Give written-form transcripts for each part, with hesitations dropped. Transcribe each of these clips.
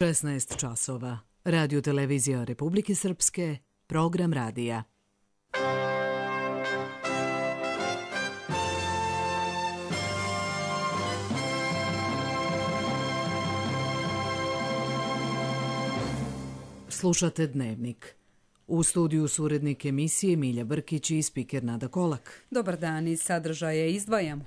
16 časova. Radio televizija Republike Srpske, program radija. Slušate Dnevnik. U studiju su urednik emisije Milja Brkić i spiker Nada Kolak. Dobar dan, iz sadržaja izdvajamo.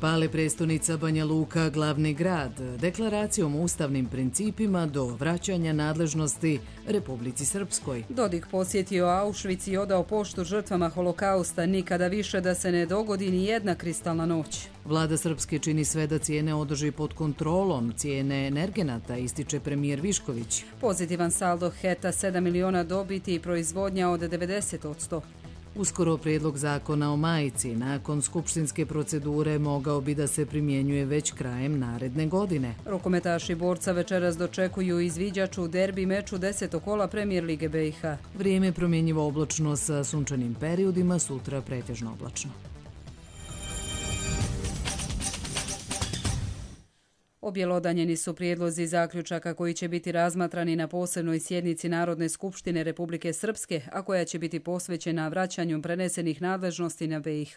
Pale prestonica Banja Luka, glavni grad, deklaracijom o ustavnim principima do vraćanja nadležnosti Republici Srpskoj. Dodik posjetio Auschwitz i odao poštu žrtvama holokausta, nikada više da se ne dogodi ni jedna kristalna noć. Vlada Srpske čini sve da cijene održi pod kontrolom, cijene energenata, ističe premijer Višković. Pozitivan saldo HET-a 7 miliona dobiti i proizvodnja od 90%. Uskoro prijedlog zakona o majici nakon skupštinske procedure mogao bi da se primjenjuje već krajem naredne godine. Rukometaši Borca večeras dočekuju izviđač u derbi meču 10. kola Premijer Lige BiH. Vrijeme promjenjivo oblačno sa sunčanim periodima, sutra pretežno oblačno. Objelodanjeni su prijedlozi zaključaka koji će biti razmatrani na posebnoj sjednici Narodne skupštine Republike Srpske, a koja će biti posvećena vraćanju prenesenih nadležnosti na BiH.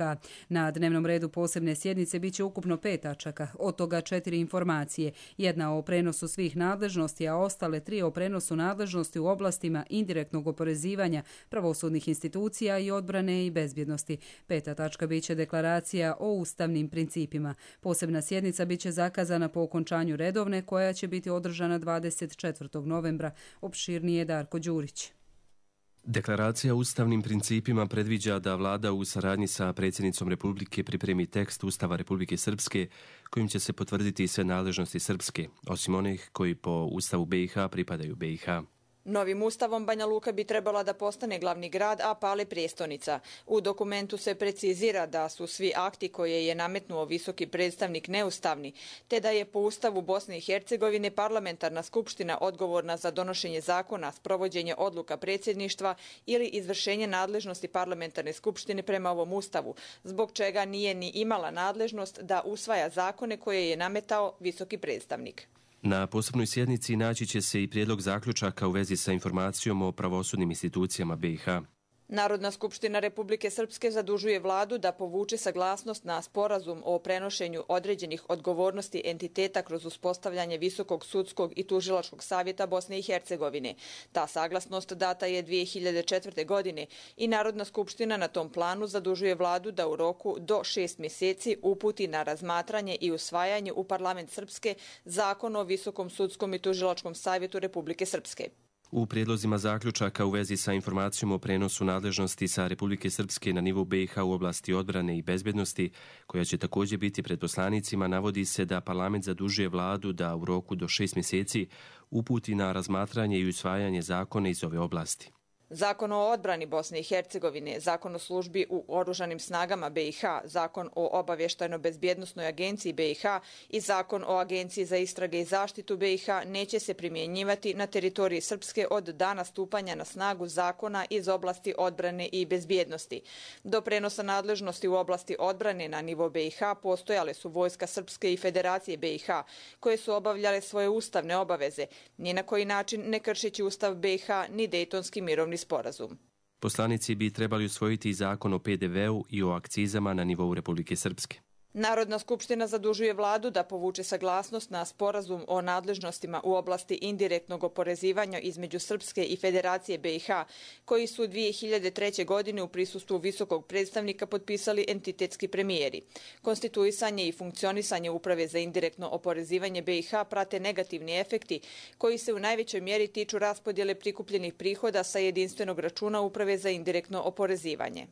Na dnevnom redu posebne sjednice biće ukupno 5 tačaka, od toga 4 informacije, jedna o prenosu svih nadležnosti, a ostale 3 o prenosu nadležnosti u oblastima indirektnog oporezivanja, pravosudnih institucija i odbrane i bezbjednosti. 5. tačka biće deklaracija o ustavnim principima. Posebna sjednica biće zakazana po okončanju redovne, koja će biti održana 24. novembra. Opširnije Darko Đurić. Deklaracija o ustavnim principima predviđa da vlada u saradnji sa predsjednicom Republike pripremi tekst Ustava Republike Srpske kojim će se potvrditi sve nadležnosti Srpske, osim onih koji po Ustavu BiH pripadaju BiH. Novim ustavom Banja Luka bi trebala da postane glavni grad, a Pale prestonica. U dokumentu se precizira da su svi akti koje je nametnuo visoki predstavnik neustavni, te da je po ustavu Bosne i Hercegovine parlamentarna skupština odgovorna za donošenje zakona, sprovođenje odluka predsjedništva ili izvršenje nadležnosti parlamentarne skupštine prema ovom ustavu, zbog čega nije ni imala nadležnost da usvaja zakone koje je nametao visoki predstavnik. Na posebnoj sjednici naći će se i prijedlog zaključaka u vezi sa informacijom o pravosudnim institucijama BiH. Narodna skupština Republike Srpske zadužuje vladu da povuče saglasnost na sporazum o prenošenju određenih odgovornosti entiteta kroz uspostavljanje Visokog sudskog i tužilačkog savjeta Bosne i Hercegovine. Ta saglasnost data je 2004. godine i Narodna skupština na tom planu zadužuje vladu da u roku do 6 mjeseci uputi na razmatranje i usvajanje u parlament Srpske zakon o Visokom sudskom i tužilačkom savjetu Republike Srpske. U prijedlozima zaključaka u vezi sa informacijom o prenosu nadležnosti sa Republike Srpske na nivou BiH u oblasti odbrane i bezbjednosti, koja će također biti pred poslanicima, navodi se da parlament zadužuje vladu da u roku do 6 mjeseci uputi na razmatranje i usvajanje zakona iz ove oblasti. Zakon o odbrani Bosne i Hercegovine, Zakon o službi u oružanim snagama BiH, Zakon o obavještajno-bezbjednosnoj agenciji BiH i Zakon o agenciji za istrage i zaštitu BiH neće se primjenjivati na teritoriji Srpske od dana stupanja na snagu zakona iz oblasti odbrane i bezbjednosti. Do prenosa nadležnosti u oblasti odbrane na nivo BiH postojale su vojska Srpske i Federacije BiH, koje su obavljale svoje ustavne obaveze, ni na koji način ne kršeći Ustav BiH ni Dejtonski mirovni sporazum. Poslanici bi trebali usvojiti zakon o PDV-u i o akcizama na nivou Republike Srpske. Narodna skupština zadužuje vladu da povuče saglasnost na sporazum o nadležnostima u oblasti indirektnog oporezivanja između Srpske i Federacije BiH, koji su 2003. godine u prisustvu visokog predstavnika potpisali entitetski premijeri. Konstituisanje i funkcionisanje Uprave za indirektno oporezivanje BiH prate negativni efekti koji se u najvećoj mjeri tiču raspodjele prikupljenih prihoda sa jedinstvenog računa Uprave za indirektno oporezivanje.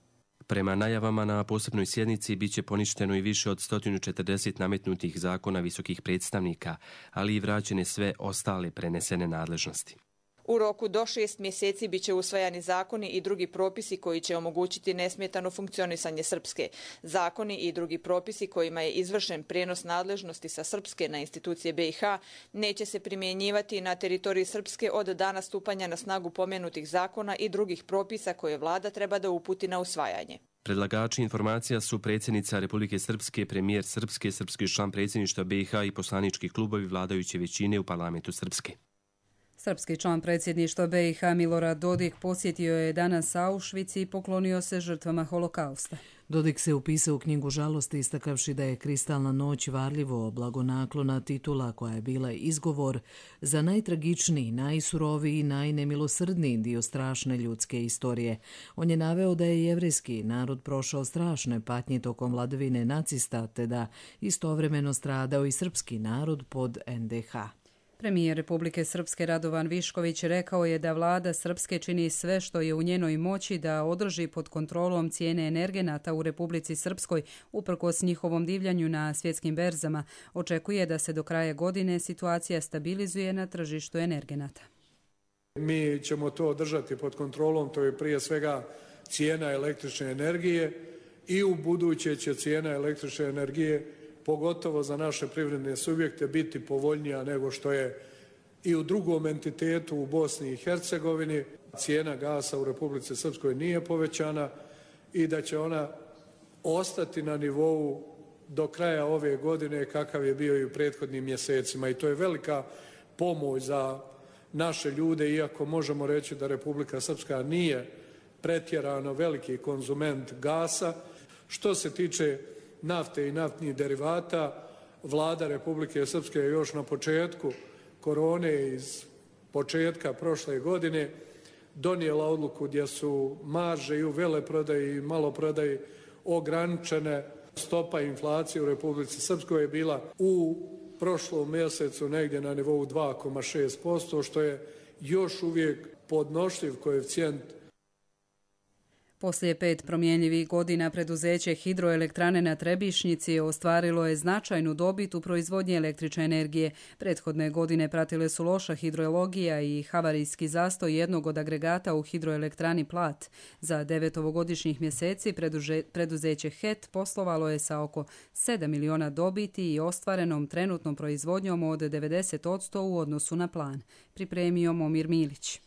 Prema najavama na posebnoj sjednici biće poništeno i više od 140 nametnutih zakona visokih predstavnika, ali i vraćene sve ostale prenesene nadležnosti. U roku do 6 mjeseci biće usvajani zakoni i drugi propisi koji će omogućiti nesmetano funkcionisanje Srpske. Zakoni i drugi propisi kojima je izvršen prijenos nadležnosti sa Srpske na institucije BiH neće se primjenjivati na teritoriji Srpske od dana stupanja na snagu pomenutih zakona i drugih propisa koje vlada treba da uputi na usvajanje. Predlagači informacija su predsjednica Republike Srpske, premijer Srpske, srpski član predsjedništva BiH i poslanički klubovi vladajuće većine u parlamentu Srpske. Srpski član predsjedništva BiH Milorad Dodik posjetio je danas Auschwitz i poklonio se žrtvama holokausta. Dodik se upisao u knjigu žalosti istakavši da je Kristalna noć varljivo blagonaklona titula koja je bila izgovor za najtragičniji, najsuroviji i najnemilosrdniji dio strašne ljudske istorije. On je naveo da je jevrejski narod prošao strašne patnje tokom vladavine nacista te da istovremeno stradao i srpski narod pod NDH. Premijer Republike Srpske Radovan Višković rekao je da vlada Srpske čini sve što je u njenoj moći da održi pod kontrolom cijene energenata u Republici Srpskoj uprkos njihovom divljanju na svjetskim berzama. Očekuje da se do kraja godine situacija stabilizuje na tržištu energenata. Mi ćemo to održati pod kontrolom, to je prije svega cijena električne energije i u buduće će cijena električne energije pogotovo za naše privredne subjekte biti povoljnija nego što je i u drugom entitetu u Bosni i Hercegovini. Cijena gasa u Republici Srpskoj nije povećana i da će ona ostati na nivou do kraja ove godine kakav je bio i u prethodnim mjesecima. I to je velika pomoć za naše ljude, iako možemo reći da Republika Srpska nije pretjerano veliki konzument gasa. Što se tiče nafte i naftnih derivata, vlada Republike Srpske je još na početku korone iz početka prošle godine donijela odluku gdje su marže i u veleprodaji i maloprodaji ograničene. Stopa inflacije u Republici Srpskoj je bila u prošlom mjesecu negdje na nivou 2,6%, što je još uvijek podnošljiv koeficijent. Poslije 5 promjenjivih godina preduzeće Hidroelektrane na Trebišnjici ostvarilo je značajnu dobit u proizvodnji električne energije. Prethodne godine pratile su loša hidrologija i havarijski zastoj jednog od agregata u Hidroelektrani Plat. Za 9-ovogodišnjih mjeseci preduzeće HET poslovalo je sa oko 7 miliona dobiti i ostvarenom trenutnom proizvodnjom od 90% u odnosu na plan. Pripremio Momir Milić.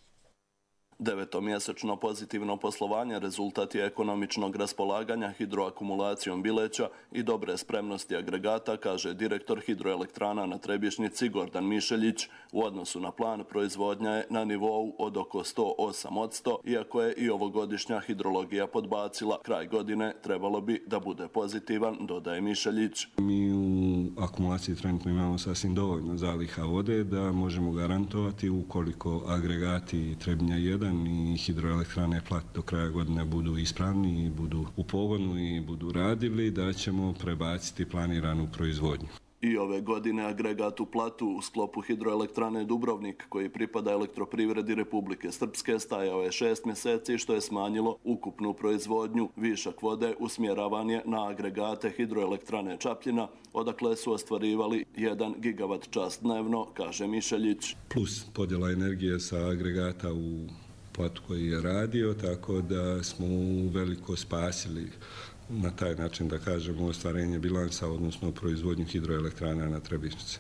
Devetomjesečno pozitivno poslovanje rezultat je ekonomičnog raspolaganja hidroakumulacijom Bileća i dobre spremnosti agregata, kaže direktor Hidroelektrana na Trebišnjici Gordan Mišeljić. U odnosu na plan proizvodnja je na nivou od oko 108%, iako je i ovogodišnja hidrologija podbacila. Kraj godine trebalo bi da bude pozitivan, dodaje Mišeljić. Mi u akumulaciji trenutno imamo sasvim dovoljno zaliha vode da možemo garantovati ukoliko agregati Trebinja 1 i Hidroelektrane Plat do kraja godine budu ispravni i budu u pogonu i budu radili, da ćemo prebaciti planiranu proizvodnju. I ove godine agregat u Platu u sklopu Hidroelektrane Dubrovnik, koji pripada elektroprivredi Republike Srpske, stajao je 6 mjeseci, što je smanjilo ukupnu proizvodnju. Višak vode usmjeravan je na agregate Hidroelektrane Čapljina, odakle su ostvarivali 1 gigavat čas dnevno, kaže Mišeljić. Plus podjela energije sa agregata u Platu koji je radio, tako da smo veliko spasili na taj način, da kažemo, ostvarenje bilansa, odnosno proizvodnju hidroelektrana na Trebišnjici.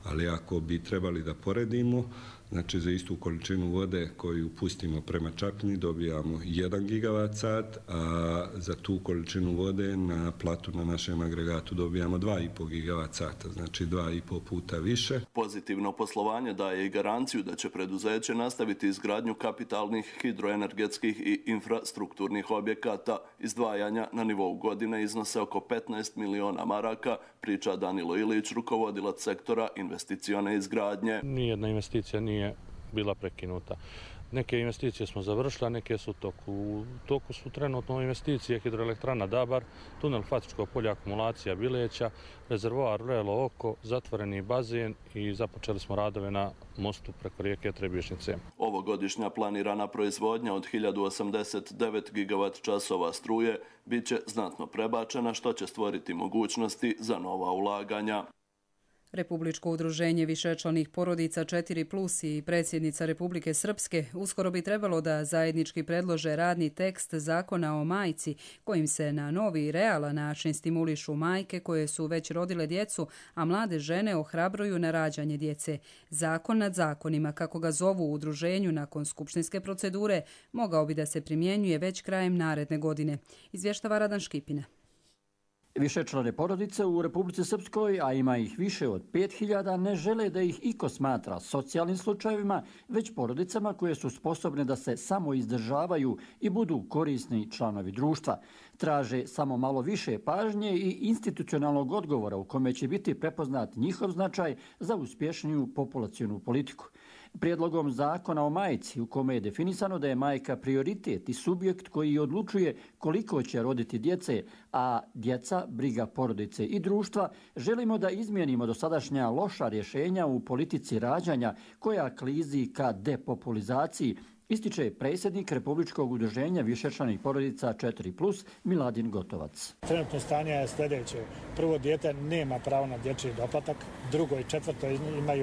Ali ako bi trebali da poredimo, znači za istu količinu vode koju pustimo prema Čapljini dobijamo 1 gigavat sat, a za tu količinu vode na Platu na našem agregatu dobijamo 2,5 gigavat sata, znači 2,5 puta više. Pozitivno poslovanje daje i garanciju da će preduzeće nastaviti izgradnju kapitalnih hidroenergetskih i infrastrukturnih objekata. Izdvajanja na nivou godine iznose oko 15 miliona maraka, priča Danilo Ilić, rukovodilac sektora investicione izgradnje. Nijedna investicija nije bila prekinuta. Neke investicije smo završili, a neke su u toku. U toku su trenutno investicije Hidroelektrana Dabar, tunel Fatičko polje, akumulacija Bileća, rezervoar Vrelo Oko, zatvoreni bazen i započeli smo radove na mostu preko rijeke Trebišnjice. Ovogodišnja planirana proizvodnja od 1089 gigavat časova struje bit će znatno prebačena, što će stvoriti mogućnosti za nova ulaganja. Republičko udruženje višečlanih porodica 4+ i predsjednica Republike Srpske uskoro bi trebalo da zajednički predlože radni tekst zakona o majci kojim se na novi i realan način stimulišu majke koje su već rodile djecu, a mlade žene ohrabruju na rađanje djece. Zakon nad zakonima, kako ga zovu u udruženju nakon skupštinske procedure, mogao bi da se primjenjuje već krajem naredne godine. Izvještava Radan Škipina. Višečlane porodice u Republici Srpskoj, a ima ih više od 5000, ne žele da ih iko smatra socijalnim slučajevima, već porodicama koje su sposobne da se samo izdržavaju i budu korisni članovi društva. Traže samo malo više pažnje i institucionalnog odgovora u kome će biti prepoznat njihov značaj za uspješniju populacionu politiku. Prijedlogom zakona o majci, u kome je definisano da je majka prioritet i subjekt koji odlučuje koliko će roditi djece, a djeca briga porodice i društva, želimo da izmijenimo dosadašnja loša rješenja u politici rađanja koja klizi ka depopulizaciji, ističe predsjednik Republičkog udruženja višečlanih porodica 4+ Miladin Gotovac. Trenutno stanje je sljedeće. Prvo dijete nema pravo na dječji doplatak, drugo i četvrto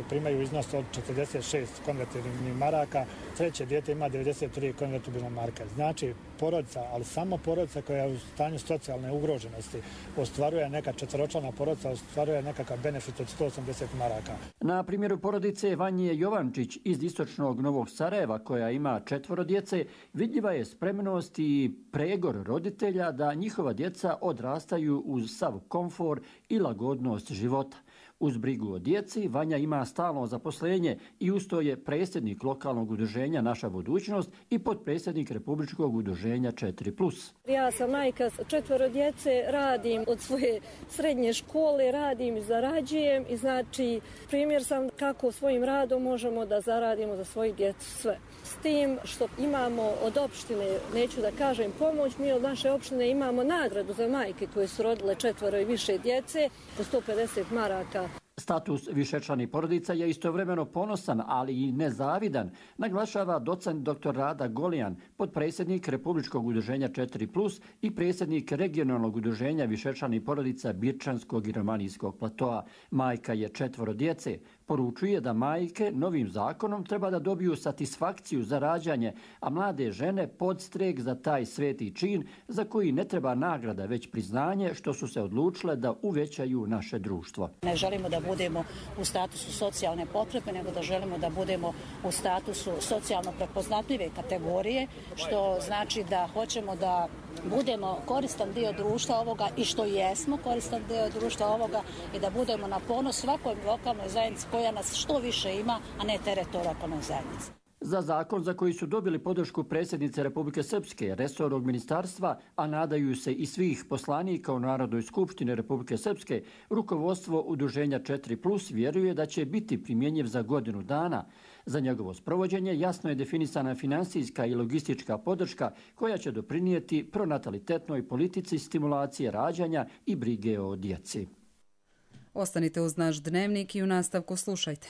primaju iznos od 46 konvertibilnih maraka, treće dijete ima 93 konvertibilne marka. Znači porodica, ali samo porodica koja je u stanju socijalne ugroženosti ostvaruje neka četveročlana porodica, ostvaruje nekakav benefit od 180 maraka. Na primjeru porodice Vanje Jovančić iz istočnog Novog Sarajeva, koja ima 4 djece, vidljiva je spremnost i pregor roditelja da njihova djeca odrastaju uz sav komfor i lagodnost života. Uz brigu o djeci, Vanja ima stalno zaposlenje i usto je predsjednik lokalnog udruženja Naša budućnost i potpredsjednik Republičkog udruženja 4+. Ja sam majka 4 djece, radim od svoje srednje škole, radim i zarađujem i znači primjer sam kako svojim radom možemo da zaradimo za svoju djecu sve. S tim što imamo od opštine, neću da kažem pomoć, mi od naše opštine imamo nagradu za majke koje su rodile 4 i više djece po 150 maraka. Status višečlanih porodica je istovremeno ponosan, ali i nezavidan, naglašava docent dr. Rada Golijan, potpredsjednik Republičkog udruženja 4+ i predsjednik regionalnog udruženja višečlanih porodica Birčanskog i Romanijskog platoa. Majka je 4 djece. Poručuje da majke novim zakonom treba da dobiju satisfakciju za rađanje, a mlade žene podstrek za taj sveti čin za koji ne treba nagrada, već priznanje što su se odlučile da uvećaju naše društvo. Ne želimo da budemo u statusu socijalne potrebe, nego da želimo da budemo u statusu socijalno prepoznatljive kategorije, što znači da hoćemo da budemo koristan dio društva ovoga i što jesmo koristan dio društva ovoga i da budemo na ponos svakoj lokalnoj zajednici koja nas što više ima, a ne teret lokalnoj zajednici. Za zakon za koji su dobili podršku predsjednice Republike Srpske, resornog ministarstva, a nadaju se i svih poslanika u Narodnoj skupštini Republike Srpske, rukovodstvo udruženja 4+ vjeruje da će biti primjenjiv za godinu dana. Za njegovo sprovođenje jasno je definisana finansijska i logistička podrška koja će doprinijeti pronatalitetnoj politici stimulacije rađanja i brige o djeci. Ostanite uz naš dnevnik i u nastavku slušajte.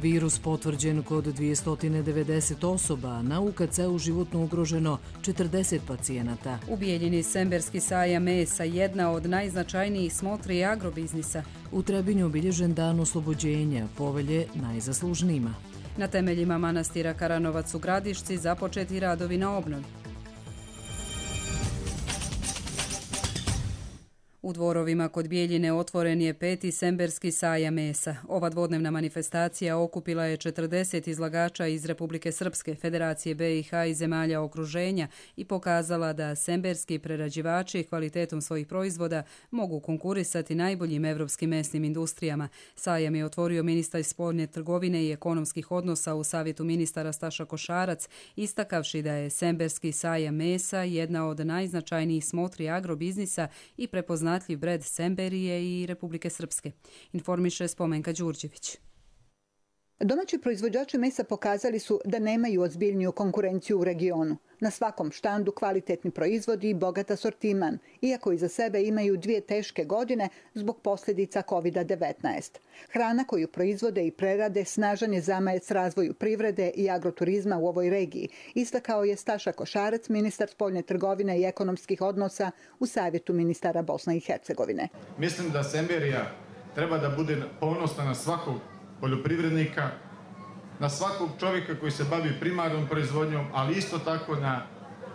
Virus potvrđen kod 290 osoba, na UKC-u životno ugroženo 40 pacijenata. U Bijeljini Semberski sajam mesa, jedna od najznačajnijih smotri agrobiznisa. U Trebinju obilježen dan oslobođenja, povelje najzaslužnijima. Na temeljima manastira Karanovac u Gradišci započeti radovi na obnovi. U Dvorovima kod Bijeljine otvoren je 5. Semberski sajam mesa. Ova dvodnevna manifestacija okupila je 40 izlagača iz Republike Srpske, Federacije BiH i zemalja okruženja i pokazala da semberski prerađivači kvalitetom svojih proizvoda mogu konkurisati najboljim evropskim mesnim industrijama. Sajam je otvorio ministar spoljne trgovine i ekonomskih odnosa u Savjetu ministara Staša Košarac, istakavši da je Semberski sajam mesa jedna od najznačajnijih smotri agrobiznisa i prepoznatljiv bred Semberije i Republike Srpske. Informiše Spomenka Đurđević. Domaći proizvođači mesa pokazali su da nemaju ozbiljniju konkurenciju u regionu. Na svakom štandu kvalitetni proizvodi i bogat asortiman, iako iza sebe imaju 2 teške godine zbog posljedica COVID-19. Hrana koju proizvode i prerade snažan je zamajac razvoju privrede i agroturizma u ovoj regiji, istakao je Staša Košarac, ministar spoljne trgovine i ekonomskih odnosa u Savjetu ministara Bosne i Hercegovine. Mislim da Semberija treba da bude ponosna na svakog poljoprivrednika, na svakog čovjeka koji se bavi primarnom proizvodnjom, ali isto tako na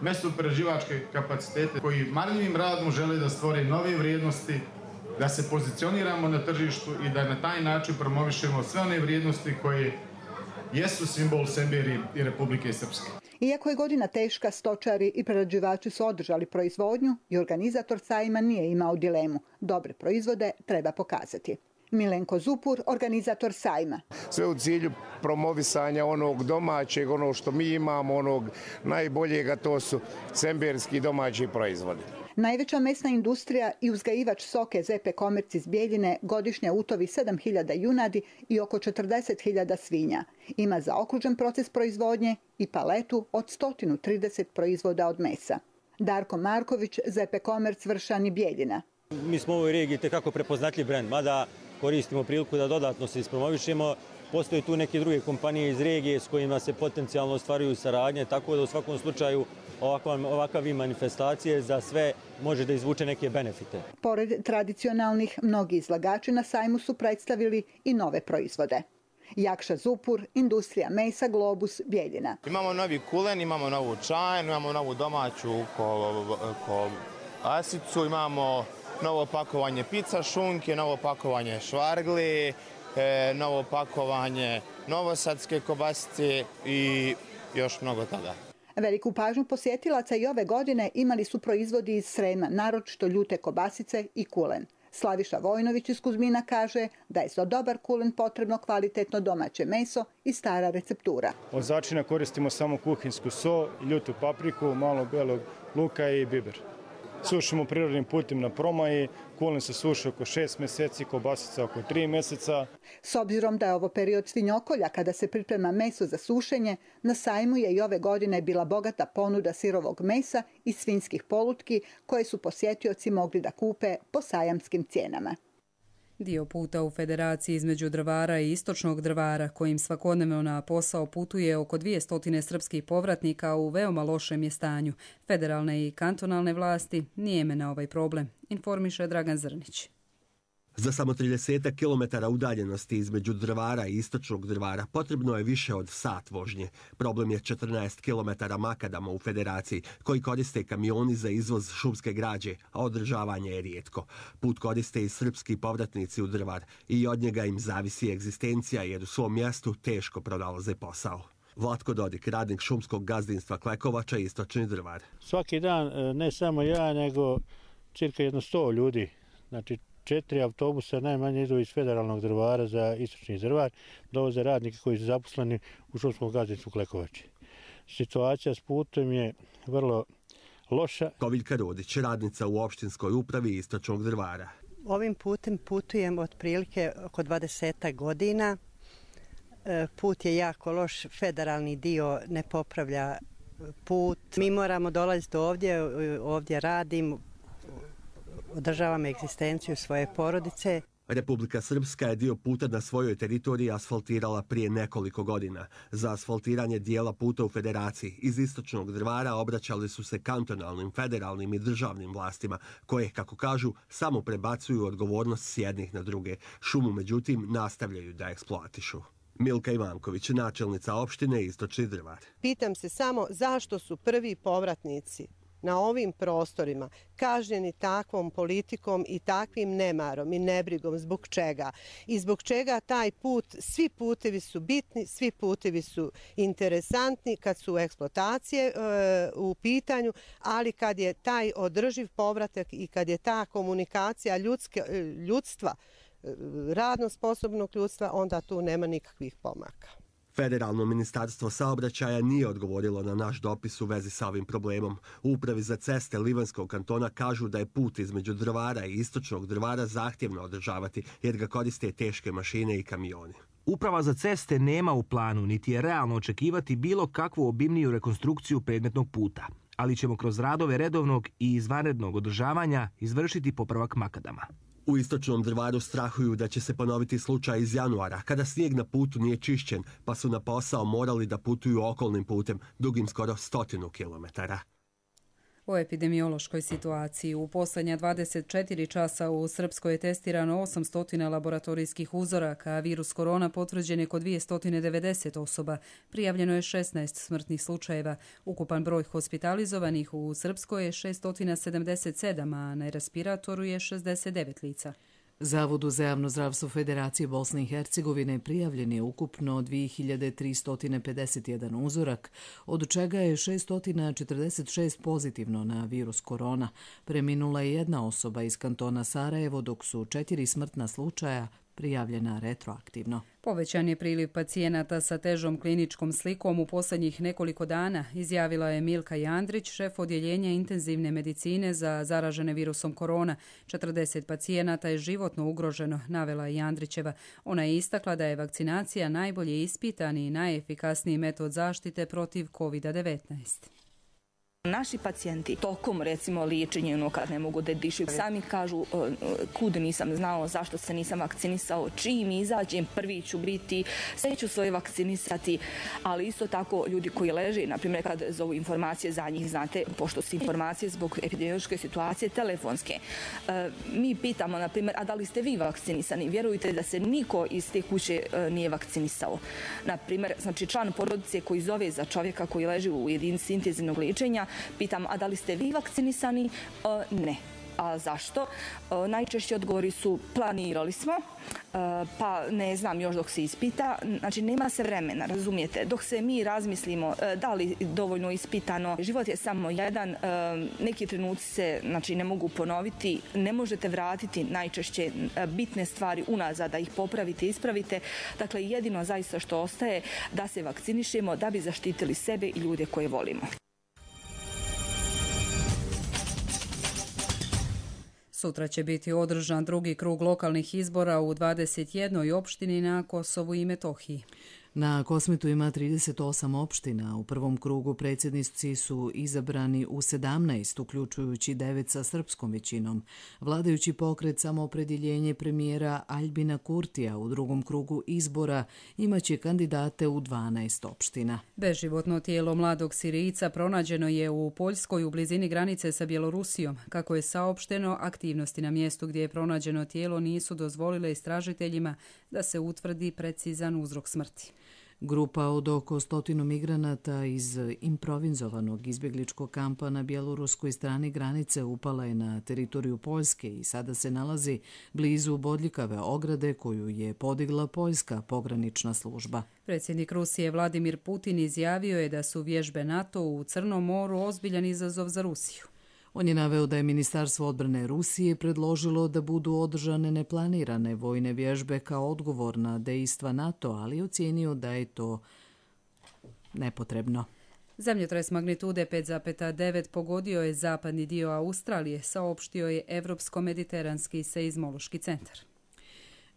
mesoprerađivačke kapacitete koji marljivim radom žele da stvore nove vrijednosti, da se pozicioniramo na tržištu i da na taj način promovišemo sve one vrijednosti koje jesu simbol Semberije i Republike Srpske. Iako je godina teška, stočari i prerađivači su održali proizvodnju i organizator sajma nije imao dilemu. Dobre proizvode treba pokazati. Milenko Zupur, organizator sajma. Sve u cilju promovisanja onog domaćeg, ono što mi imamo, onog najboljega, to su semberski domaći proizvodi. Najveća mesna industrija i uzgajivač stoke ZP Komerc iz Bijeljine godišnje utovi 7.000 junadi i oko 40.000 svinja. Ima zaokružen proces proizvodnje i paletu od 130 proizvoda od mesa. Darko Marković, ZP Komerc, Vršan i Bijeljina. Mi smo u ovoj regiji tekako prepoznatljiv brend, mada koristimo priliku da dodatno se ispromovišemo. Postoje tu neke druge kompanije iz regije s kojima se potencijalno ostvaruju saradnje, tako da u svakom slučaju ovakav manifestacije za sve može da izvuče neke benefite. Pored tradicionalnih, mnogi izlagači na sajmu su predstavili i nove proizvode. Jakša Zupur, industrija mesa, Globus, Bijeljina. Imamo novi kulen, imamo novu čajnu, imamo novu domaću asicu, imamo novo pakovanje pizza šunke, novo pakovanje švargli, novo pakovanje novosadske kobasice i još mnogo toga. Veliku pažnju posjetilaca i ove godine imali su proizvodi iz Srema, naročito ljute kobasice i kulen. Slaviša Vojnović iz Kuzmina kaže da je za dobar kulen potrebno kvalitetno domaće meso i stara receptura. Od začina koristimo samo kuhinsku so, ljutu papriku, malo belog luka i biber. Sušimo prirodnim putem na promaji, kulen se suši oko 6 mjeseci, kobasica oko 3 mjeseca. S obzirom da je ovo period svinjokolja kada se priprema meso za sušenje, na sajmu je i ove godine bila bogata ponuda sirovog mesa i svinjskih polutki koje su posjetioci mogli da kupe po sajamskim cijenama. Dio puta u federaciji između Drvara i Istočnog Drvara, kojim svakodnevno na posao putuje oko 200 srpskih povratnika, u veoma lošem je stanju. Federalne i kantonalne vlasti nijeme na ovaj problem, informiše Dragan Zrnić. Za samo 30 km udaljenosti između Drvara i Istočnog Drvara potrebno je više od sat vožnje. Problem je 14 km makadama u federaciji koji koriste kamioni za izvoz šumske građe, a održavanje je rijetko. Put koriste i srpski povratnici u Drvar i od njega im zavisi egzistencija jer u svom mjestu teško pronalaze posao. Vlatko Dodik, radnik šumskog gazdinstva Klekovača, Istočni Drvar. Svaki dan ne samo ja, nego cirka 100 ljudi, znači 4 autobusa najmanje idu iz federalnog Drvara za Istočni Drvar, dovoze radnike koji su zaposleni u šumskom gazdinstvu Klekovači. Situacija s putem je vrlo loša. Koviljka Rodić, radnica u opštinskoj upravi Istočnog Drvara. Ovim putem putujem otprilike oko 20 godina. Put je jako loš, federalni dio ne popravlja put. Mi moramo dolaziti ovdje radim, održavam egzistenciju svoje porodice. Republika Srpska je dio puta na svojoj teritoriji asfaltirala prije nekoliko godina. Za asfaltiranje dijela puta u federaciji iz Istočnog Drvara obraćali su se kantonalnim, federalnim i državnim vlastima, koje, kako kažu, samo prebacuju odgovornost s jednih na druge. Šumu, međutim, nastavljaju da eksploatišu. Milka Ivanković, načelnica opštine Istočni Drvar. Pitam se samo zašto su prvi povratnici na ovim prostorima kažnjeni takvom politikom i takvim nemarom i nebrigom, zbog čega? I zbog čega taj put, svi putevi su bitni, svi putevi su interesantni kad su eksploatacije u pitanju, ali kad je taj održiv povratak i kad je ta komunikacija ljudstva, radno sposobnog ljudstva, onda tu nema nikakvih pomaka. Federalno ministarstvo saobraćaja nije odgovorilo na naš dopis u vezi sa ovim problemom. U upravi za ceste Livanskog kantona kažu da je put između Drvara i Istočnog Drvara zahtjevno održavati jer ga koriste teške mašine i kamioni. Uprava za ceste nema u planu, niti je realno očekivati bilo kakvu obimniju rekonstrukciju predmetnog puta, ali ćemo kroz radove redovnog i izvanrednog održavanja izvršiti popravak makadama. U istočnom Drvaru strahuju da će se ponoviti slučaj iz januara, kada snijeg na putu nije čišćen, pa su na posao morali da putuju okolnim putem, dugim skoro 100 kilometara. O epidemiološkoj situaciji. U posljednja 24 časa u Srpskoj je testirano 800 laboratorijskih uzoraka, a virus korona potvrđen je kod 290 osoba. Prijavljeno je 16 smrtnih slučajeva. Ukupan broj hospitalizovanih u Srpskoj je 677, a na respiratoru je 69 lica. Zavodu za javno zdravstvo Federacije Bosne i Hercegovine prijavljen je ukupno 2351 uzorak, od čega je 646 pozitivno na virus korona. Preminula je jedna osoba iz kantona Sarajevo, dok su 4 smrtna slučaja prijavljena retroaktivno. Povećan je priliv pacijenata sa težom kliničkom slikom u posljednjih nekoliko dana, izjavila je Milka Jandrić, šef odjeljenja intenzivne medicine za zaražene virusom korona. 40 pacijenata je životno ugroženo, navela Jandrićeva. Ona je istakla da je vakcinacija najbolje ispitani i najefikasniji metod zaštite protiv COVID-19. Naši pacijenti tokom recimo liječenja kad ne mogu da dišu, sami kažu kud nisam znao, zašto se nisam vakcinisao, čim izađem prvi ću biti, sve ću svoje vakcinisati, ali isto tako ljudi koji leže, na primjer kad zovu informacije za njih, znate, pošto su informacije zbog epidemiološke situacije telefonske. Mi pitamo, na primjer, a da li ste vi vakcinisani? Vjerujte da se niko iz te kuće nije vakcinisao. Na primjer, znači član porodice koji zove za čovjeka koji leži u jedinici intenzivnog liječenja, pitam, a da li ste vi vakcinisani? Ne. A zašto? Najčešći odgovori su planirali smo, pa ne znam još dok se ispita. Znači nema se vremena, razumijete? Dok se mi razmislimo da li dovoljno ispitano, život je samo jedan, neki trenuci se znači, ne mogu ponoviti, ne možete vratiti najčešće bitne stvari unazad, da ih popravite, ispravite. Dakle, jedino zaista što ostaje da se vakcinišemo da bi zaštitili sebe i ljude koje volimo. Sutra će biti održan drugi krug lokalnih izbora u 21. opštini na Kosovu i Metohiji. Na Kosmetu ima 38 opština. U prvom krugu predsjednici su izabrani u 17, uključujući 9 sa srpskom većinom. Vladajući pokret Samoopredjeljenje premijera Aljbina Kurtija u drugom krugu izbora imaće kandidate u 12 opština. Beživotno tijelo mladog Sirijca pronađeno je u Poljskoj u blizini granice sa Bjelorusijom. Kako je saopšteno, aktivnosti na mjestu gdje je pronađeno tijelo nisu dozvolile istražiteljima da se utvrdi precizan uzrok smrti. Grupa od oko 100 migranata iz improvizovanog izbjegličkog kampa na bjeloruskoj strani granice upala je na teritoriju Poljske i sada se nalazi blizu bodljikave ograde koju je podigla poljska pogranična služba. Predsjednik Rusije Vladimir Putin izjavio je da su vježbe NATO u Crnom moru ozbiljan izazov za Rusiju. On je naveo da je Ministarstvo odbrane Rusije predložilo da budu održane neplanirane vojne vježbe kao odgovor na dejstva NATO, ali ocijenio da je to nepotrebno. Zemljotres magnitude 5,9 pogodio je zapadni dio Australije, saopštio je Evropsko-mediteranski seizmološki centar.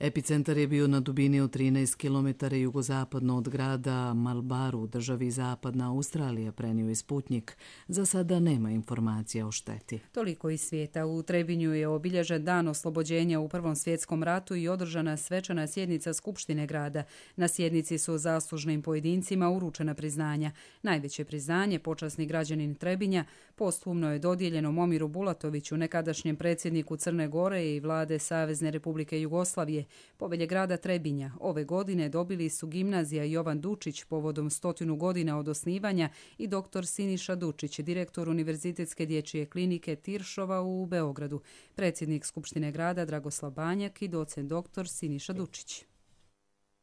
Epicentar je bio na dubini od 13 km jugozapadno od grada Malbaru u državi Zapadna Australija, prenio je Sputnik. Za sada nema informacija o šteti. Toliko iz svijeta. U Trebinju je obilježen dan oslobođenja u Prvom svjetskom ratu i održana svečana sjednica Skupštine grada. Na sjednici su zaslužnim pojedincima uručena priznanja. Najveće priznanje, počasni građanin Trebinja, posthumno je dodijeljeno Momiru Bulatoviću, nekadašnjem predsjedniku Crne Gore i vlade Savezne Republike Jugoslavije. Povelje grada Trebinja ove godine dobili su gimnazija Jovan Dučić povodom 100 godina od osnivanja i dr. Siniša Dučić, direktor Univerzitetske dječje klinike Tiršova u Beogradu, predsjednik Skupštine grada Dragoslav Banjak i docent dr. Siniša Dučić.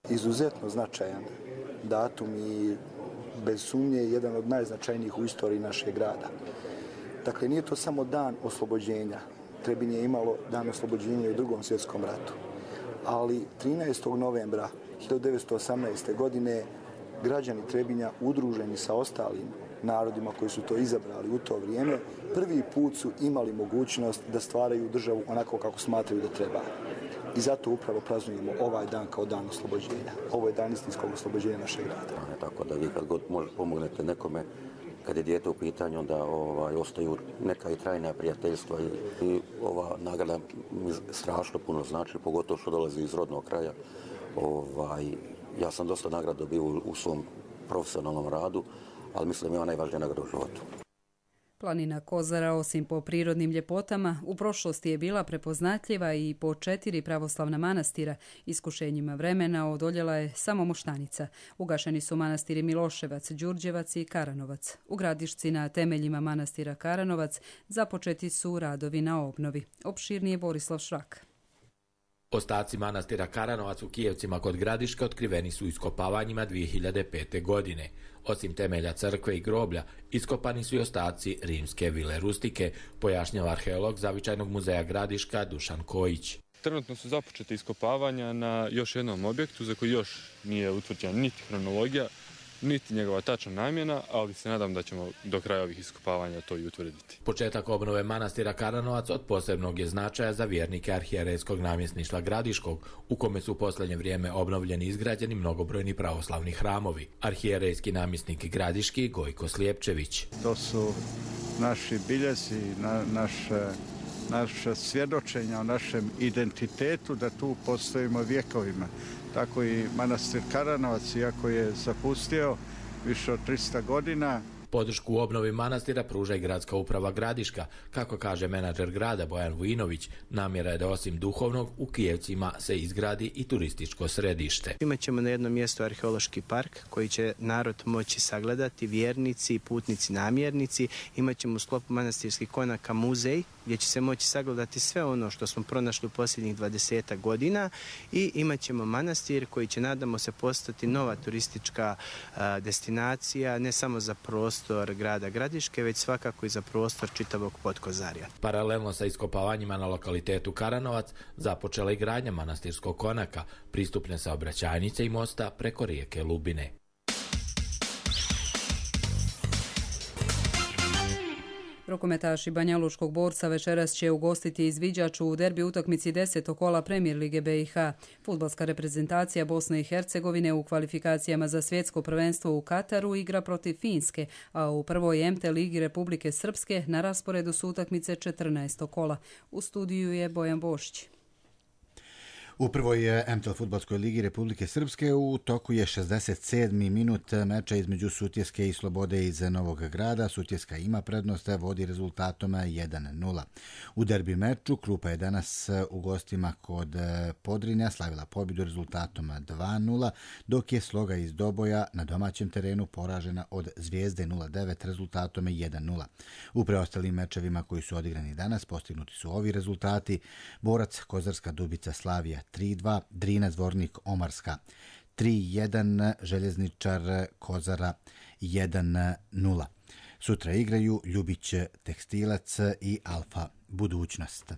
Izuzetno značajan datum i bez sumnje jedan od najznačajnijih u istoriji našeg grada. Dakle, nije to samo dan oslobođenja. Trebinje je imalo dan oslobođenja u Drugom svjetskom ratu. Ali 13. novembra 1918. godine građani Trebinja udruženi sa ostalim narodima koji su to izabrali u to vrijeme, prvi put su imali mogućnost da stvaraju državu onako kako smatraju da treba. I zato upravo praznujemo ovaj dan kao dan oslobođenja. Ovo je dan istinskog oslobođenja našeg grada. Tako da vi kad god pomognete nekome, kad je dijete u pitanju, onda ostaju neka i trajna prijateljstva i ova nagrada mi strašno puno znači, pogotovo što dolazi iz rodnog kraja. Ja sam dosta nagrada dobio u svom profesionalnom radu, ali mislim da je ona najvažnija nagrada u životu. Planina Kozara, osim po prirodnim ljepotama, u prošlosti je bila prepoznatljiva i po 4 pravoslavna manastira. Iskušenjima vremena odoljela je samo Moštanica. Ugašeni su manastiri Miloševac, Đurđevac i Karanovac. U Gradišci na temeljima manastira Karanovac započeti su radovi na obnovi. Opširnije Borislav Šrak. Ostaci manastira Karanovac u Kijevcima kod Gradiške otkriveni su iskopavanjima 2005. godine. Osim temelja crkve i groblja, iskopani su i ostaci rimske vile Rustike, pojašnjava arheolog Zavičajnog muzeja Gradiška Dušan Kojić. Trenutno su započete iskopavanja na još jednom objektu za koji još nije utvrđena niti hronologija, niti njegova tačna namjena, ali se nadam da ćemo do kraja ovih iskopavanja to i utvrditi. Početak obnove manastira Karanovac od posebnog je značaja za vjernike arhijerejskog namjesništva Gradiškog, u kome su u posljednje vrijeme obnovljeni i izgrađeni mnogobrojni pravoslavni hramovi. Arhijerejski namjesnik Gradiški Gojko Slijepčević. To su naši biljezi, naša svjedočenja o našem identitetu, da tu postojimo vjekovima. Tako i manastir Karanovac, iako je zapustio više od 300 godina. Podršku u obnovi manastira pruža i gradska uprava Gradiška. Kako kaže menadžer grada Bojan Vujinović, namjera je da osim duhovnog u Kijevcima se izgradi i turističko središte. Imaćemo na jednom mjestu arheološki park koji će narod moći sagledati, vjernici, putnici, namjernici. Imaćemo u sklopu manastirskih konaka muzej gdje će se moći sagledati sve ono što smo pronašli u posljednjih 20 godina i imaćemo manastir koji će, nadamo se, postati nova turistička destinacija, ne samo za prostor grada Gradiške, već svakako i za prostor čitavog Podkozarja. Paralelno sa iskopavanjima na lokalitetu Karanovac započela i gradnja manastirskog konaka, pristupne saobraćajnice i mosta preko rijeke Lubine. Rukometaši Banjalučkog Borca večeras će ugostiti izviđač u derbi utakmici 10. kola Premier lige BiH. Fudbalska reprezentacija Bosne i Hercegovine u kvalifikacijama za svjetsko prvenstvo u Kataru igra protiv Finske, a u prvoj MT ligi Republike Srpske na rasporedu su utakmice 14. kola. U studiju je Bojan Bošić. U prvoj MTL fudbalskoj ligi Republike Srpske u toku je 67. minut meča između Sutjeske i Slobode iz Novog Grada. Sutjeska ima prednost, vodi rezultatom 1-0. U derbi meču Klupa je danas u gostima kod Podrinja slavila pobjedu rezultatom 2-0, dok je Sloga iz Doboja na domaćem terenu poražena od Zvijezde 0-9 rezultatom 1-0. U preostalim mečevima koji su odigrani danas postignuti su ovi rezultati: Borac Kozarska Dubica Slavija 3-2, Drina Zvornik Omarska 3-1, Željezničar Kozara 1-0. Sutra igraju Ljubić Tekstilac i Alfa Budućnost.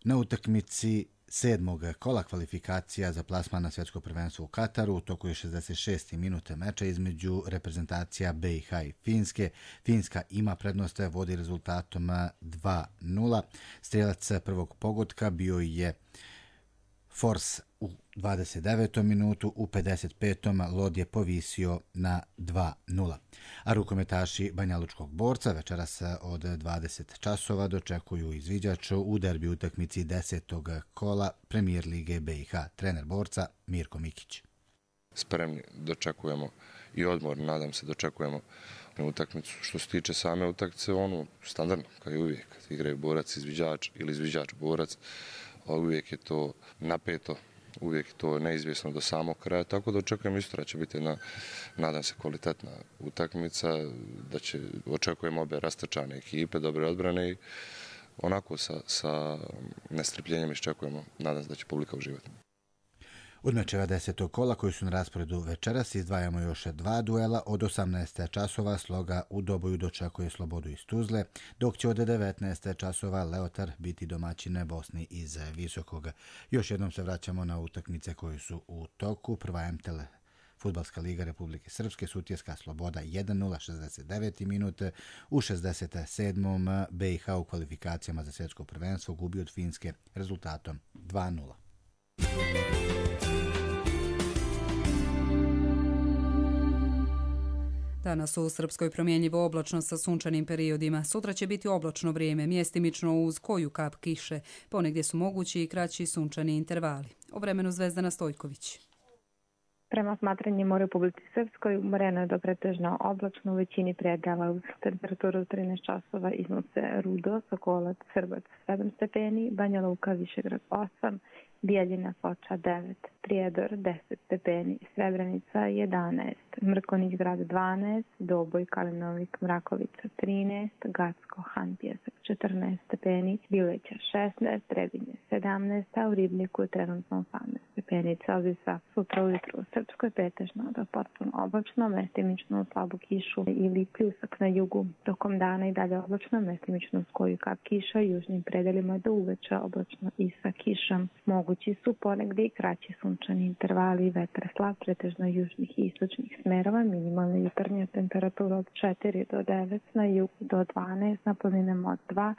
Na utakmici 7. kola kvalifikacija za plasman na svjetsko prvenstvo u Kataru u toku je 66. minute meča između reprezentacija BiH i Finske. Finska ima prednost, vodi rezultatom 2-0. Strijelac prvog pogotka bio je Fors u 29. minutu, u 55. Lod je povisio na 2-0. A rukometaši Banjalučkog Borca večeras od 20 časova dočekuju izviđač u derbi utakmici 10. kola Premier lige BiH. Trener Borca Mirko Mikić. Spremni dočekujemo i odmor, nadam se dočekujemo utakmicu. Što se tiče same utakmice, standardno, kao i uvijek, kad igraju borac, izviđač ili izviđač borac, uvijek je to napeto, uvijek je to neizvjesno do samog kraja, tako da očekujem isto da će biti jedna, nadam se, kvalitetna utakmica, da će, očekujem obe rastrčane ekipe, dobre odbrane i onako sa nestrpljenjem iščekujemo, nadam se da će publika uživati. Od mečeva 10. kola koji su na rasporedu večeras izdvajamo još 2 duela. Od 18. časova Sloga u Doboju dočekuje Slobodu iz Tuzle, dok će od 19. časova Leotar biti domaćine Bosni iz Visokog. Još jednom se vraćamo na utakmice koje su u toku. Prva MTL Fudbalska liga Republike Srpske, Sutjeska Sloboda 1-0, 69. minut. U 67. BiH u kvalifikacijama za svjetsko prvenstvo gubi od Finske rezultatom 2-0. Danas u Srpskoj promjenjivo oblačno sa sunčanim periodima. Sutra će biti oblačno vrijeme, mjestimično uz koju kap kiše. Ponegdje su mogući i kraći sunčani intervali. O vremenu Zvezdana Stojković. Prema smatranjima u Republici Srpskoj umoreno je do pretežno oblačno u većini predjela uz temperaturu 13 časova iznose Rudo, Sokolac, Srbac 7 stepeni, Banja Luka, Višegrad 8, Bijeljina, Foča 9, Prijedor 10 stepeni, Srebrenica 11, Mrkonjić grad 12, Doboj, Kalinovik, Mrakovica 13, Gacko, Han Pjesak 14 stepeni, Bileća 16, Trebinje 17, a u Ribniku je trenutno 18 stepeni Celzijusa. Sutra ujutru u Srpskoj pretežno do potpuno oblačno, mestimično slabu kišu ili pljusak na jugu. Tokom dana i dalje oblačno, mestimično uz koju kap kiša, južnim predelima do uveče oblačno i sa kišom. Mogući su ponegdje i kraći sunčani intervali, vetar slab, pretežno južnih i istočnih smerova, minimalna jutarnja temperatura od 4 do 9, na jugu do 12, na planinama od 2,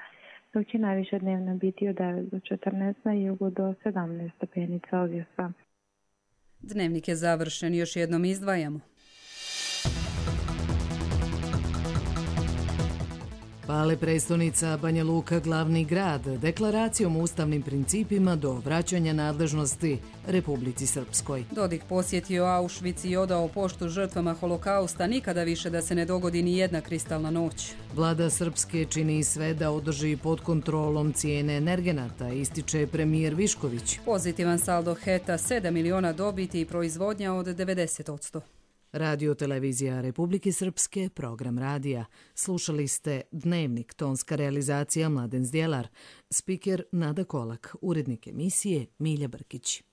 dok će najviše dnevno biti od 9 do 14, na jugu do 17 stepeni Celzijusa. Dnevnik je završen, još jednom izdvajamo. Pale prestonica Banja Luka, glavni grad, deklaracijom o ustavnim principima do vraćanja nadležnosti Republici Srpskoj. Dodik posjetio Auschwitz i odao poštu žrtvama holokausta, nikada više da se ne dogodi ni jedna kristalna noć. Vlada Srpske čini sve da održi pod kontrolom cijene energenata, ističe premijer Višković. Pozitivan saldo HET-a 7 miliona dobiti i proizvodnja od 90%. Radio televizija Republike Srpske, program radija. Slušali ste Dnevnik, tonska realizacija Mladen Zdjelar, spiker Nada Kolak, urednik emisije Milja Brkić.